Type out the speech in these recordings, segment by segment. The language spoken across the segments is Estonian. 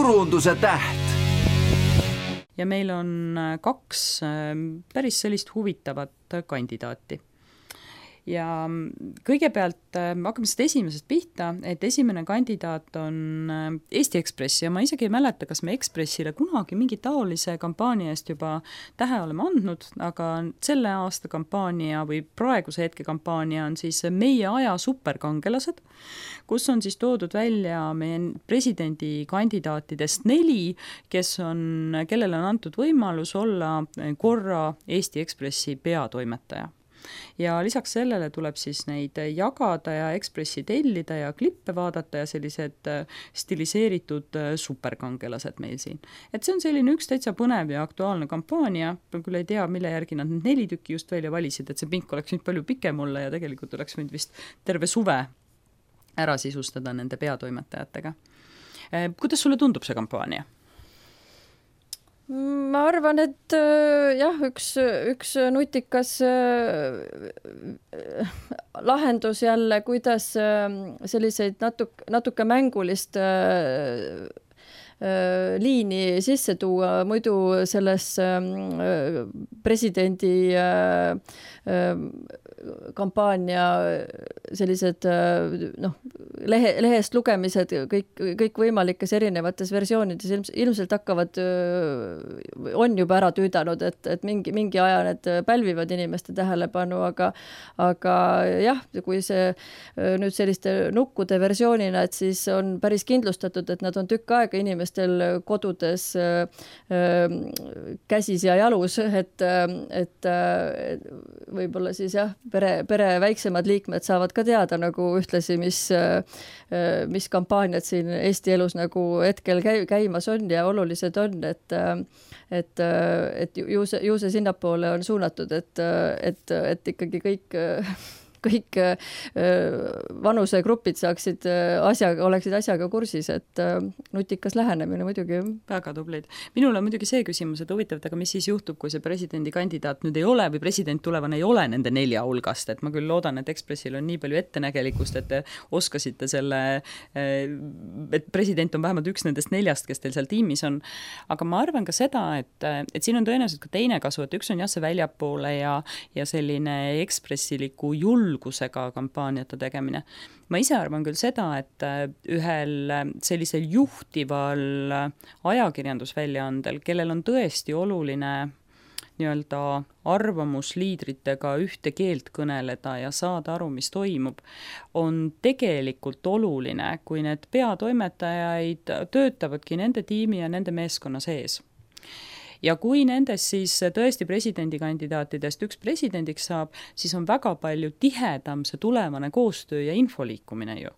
turunduse täht. Ja meil on 2 päris sellist huvitavat kandidaati. Ja kõigepealt hakkame seda esimesest pihta, et esimene kandidaat on Eesti Ekspress ja ma isegi ei mäleta, kas me Ekspressile kunagi mingi taolise kampaania eest juba tähe oleme andnud, aga selle aasta kampaania või praeguse hetke kampaania on siis Meie aja superkangelased, kus on siis toodud välja meie presidendikandidaatidest 4, kellele on antud võimalus olla korra Eesti Ekspressi peatoimetaja. Ja lisaks sellele tuleb siis neid jagada ja Ekspressi tellida ja klippe vaadata ja sellised stiliseeritud superkangelased meil siin. Et see on selline üks täitsa põnev ja aktuaalne kampaania, küll ei tea, mille järgi nad 4 tükki just välja valisid, et see pink oleks nüüd palju pikem olla ja tegelikult oleks võinud vist terve suve ära sisustada nende peatoimetajatega. Kuidas sulle tundub see kampaania? Ma arvan, et jah, üks nutikas lahendus jälle, kuidas selliseid natuke mängulist liini sisse tuua, muidu selles presidendi kampaania sellised lehest lugemised kõik võimalikes erinevates versioonides ilmselt hakkavad, on juba ära tüüdanud, et mingi aja need pälvivad inimeste tähelepanu, aga jah, kui see nüüd selliste nukkude versioonina, et siis on päris kindlustatud, et nad on tükk aega inimestel kodudes käsis ja jalus, et võib-olla siis jah, pere väiksemad liikmed saavad ka teada nagu ühtlasi, mis kampaaniad siin Eesti elus nagu hetkel käimas on ja olulised on, et ju see sinnapoole on suunatud, et ikkagi kõik vanusegrupid oleksid asjaga kursis, et nutikas lähenemine muidugi. Väga tublid. Minul on muidugi see küsimus, et huvitav, aga mis siis juhtub, kui see presidendikandidaat nüüd ei ole või president tulevane ei ole nende 4 hulgast, et ma küll loodan, et Ekspressil on nii palju ettenägelikkust, et te oskasite selle, et president on vähemalt üks nendest 4, kes teil seal tiimis on, aga ma arvan ka seda, et siin on tõenäoliselt ka teine kasu, et üks on jah see väljapoole ja selline ekspressiliku julgusega kampaaniate tegemine. Ma ise arvan küll seda, et ühel sellisel juhtival ajakirjandusväljaandel, kellel on tõesti oluline nii-öelda arvamusliidritega ühte keelt kõneleda ja saada aru, mis toimub, on tegelikult oluline, kui need peatoimetajaid töötavadki nende tiimi ja nende meeskonna sees. Ja kui nendes siis tõesti presidendikandidaatidest üks presidendiks saab, siis on väga palju tihedam see tulevane koostöö ja infoliikumine ju.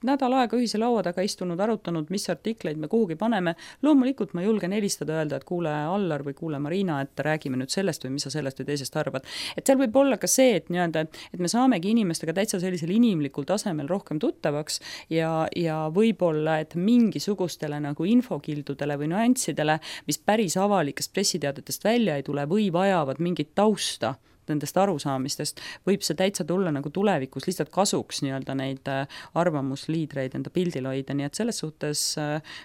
Nädal aega ühise laua taga istunud, arutanud, mis artikleid me kuhugi paneme. Loomulikult ma julgen helistada öelda, et kuule Allar või kuule Marina, et räägime nüüd sellest või mis sa sellest või teisest arvad. Et seal võib olla ka see, et me saamegi inimestega täitsa sellisel inimlikul tasemel rohkem tuttavaks ja võib-olla, et mingisugustele nagu infokildudele või nüanssidele, mis päris avalikest pressiteadetest välja ei tule või vajavad mingit tausta nendest arusaamistest, võib see täitsa tulla nagu tulevikus lihtsalt kasuks nii-öelda neid arvamusliidreid enda pildil hoida, nii et selles suhtes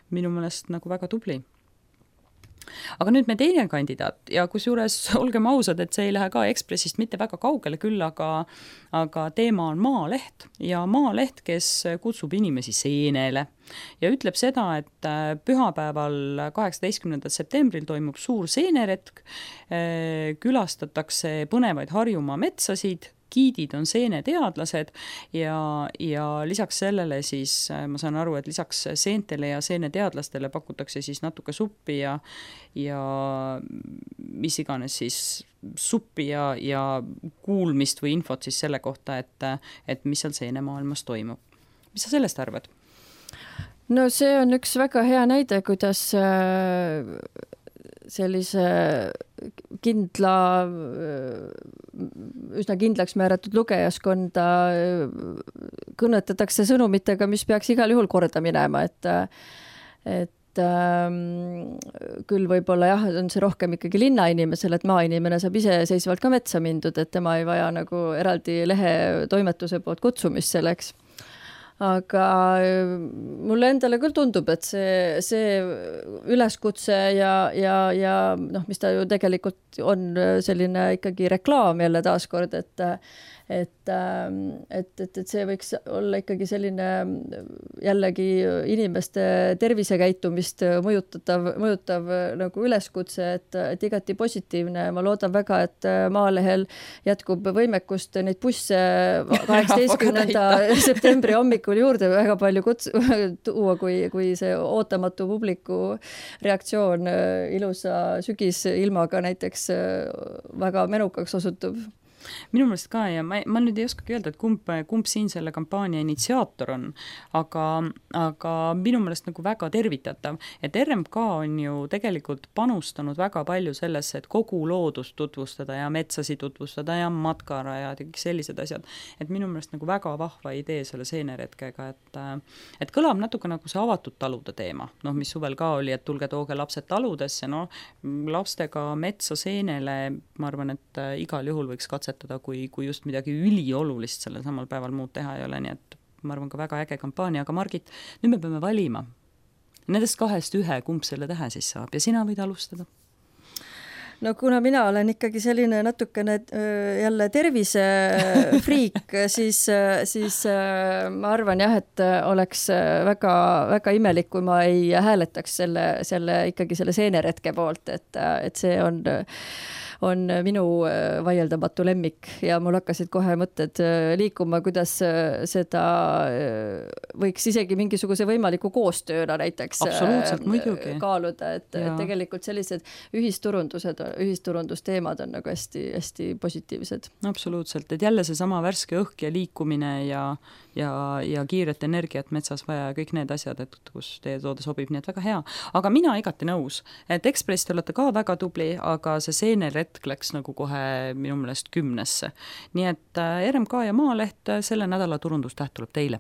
minu meelest nagu väga tubli. Aga nüüd me teine kandidaat ja kusjuures olgem ausad, et see ei lähe ka Ekspressist mitte väga kaugele küll, aga teema on Maaleht ja Maaleht, kes kutsub inimesi seenele ja ütleb seda, et pühapäeval 18. septembril toimub suur seeneretk, külastatakse põnevaid Harjumaa metsasid, giidid on seeneteadlased ja lisaks sellele siis ma saan aru, et lisaks seentele ja seeneteadlastele pakutakse siis natuke suppi ja mis iganes siis suppi ja kuulmist või infot siis selle kohta, et mis seal seenemaailmas toimub. Mis sa sellest arvad? No see on üks väga hea näide, kuidas sellise üsna kindlaks määratud lugejaskonda kõnetatakse sõnumitega, mis peaks igal juhul korda minema, et küll võib-olla jah, on see rohkem ikkagi linnainimesel, et maainimene saab iseseisvalt ka metsa mindud, et tema ei vaja nagu eraldi lehe toimetuse poolt kutsumist selleks. aga mulle endale küll tundub, et see üleskutse ja noh, mis ta ju tegelikult on selline ikkagi reklaam jälle taaskord, et see võiks olla ikkagi selline jällegi inimeste tervisekäitumist mõjutav nagu üleskutse, et igati positiivne. Ma loodan väga, et Maalehel jätkub võimekust neid busse 18. septembri hommikul juurde väga palju tuua, kui see ootamatu publiku reaktsioon ilusa sügisilmaga näiteks väga menukaks osutub. Minu meelest ka ja ma nüüd ei oskagi öelda, et kumb siin selle kampaania initsiaator on, aga minu meelest nagu väga tervitatav, et RMK on ju tegelikult panustanud väga palju sellesse, et kogu loodust tutvustada ja metsasid tutvustada ja matkarajad ja kõik sellised asjad, et minu meelest nagu väga vahva idee selle seeneretkega, et kõlab natuke nagu see avatud talude teema, noh, mis suvel ka oli, et tulge tooge lapsed taludesse, no lastega metsa seenele, ma arvan, et igal juhul võiks katsetada, kui just midagi üliolulist sellel samal päeval muud teha ei ole, nii et ma arvan ka väga äge kampaania, aga Margit, nüüd me peame valima. Nendest kahest ühe, kumb selle tähe siis saab ja sina võid alustada. No kuna mina olen ikkagi selline natukene jälle tervisefriik, siis ma arvan jah, et oleks väga, väga imelik, kui ma ei hääletaks ikkagi selle seeneretke poolt, et see on minu vaieldamatu lemmik ja mul hakkasid kohe mõtted liikuma, kuidas seda võiks isegi mingisuguse võimaliku koostööna näiteks kaaluda, et tegelikult sellised ühisturundusteemad on nagu hästi, hästi positiivsed. Absoluutselt, et jälle see sama värske õhk ja liikumine ja kiiret energiat metsas vaja ja kõik need asjad, et kus teie toode sobib, nii et väga hea. Aga mina igati nõus, et Ekspress te olete ka väga tubli, aga see seeneretk läks nagu kohe minu meelest 10. Nii et RMK ja Maaleht selle nädala turundustäht tuleb teile.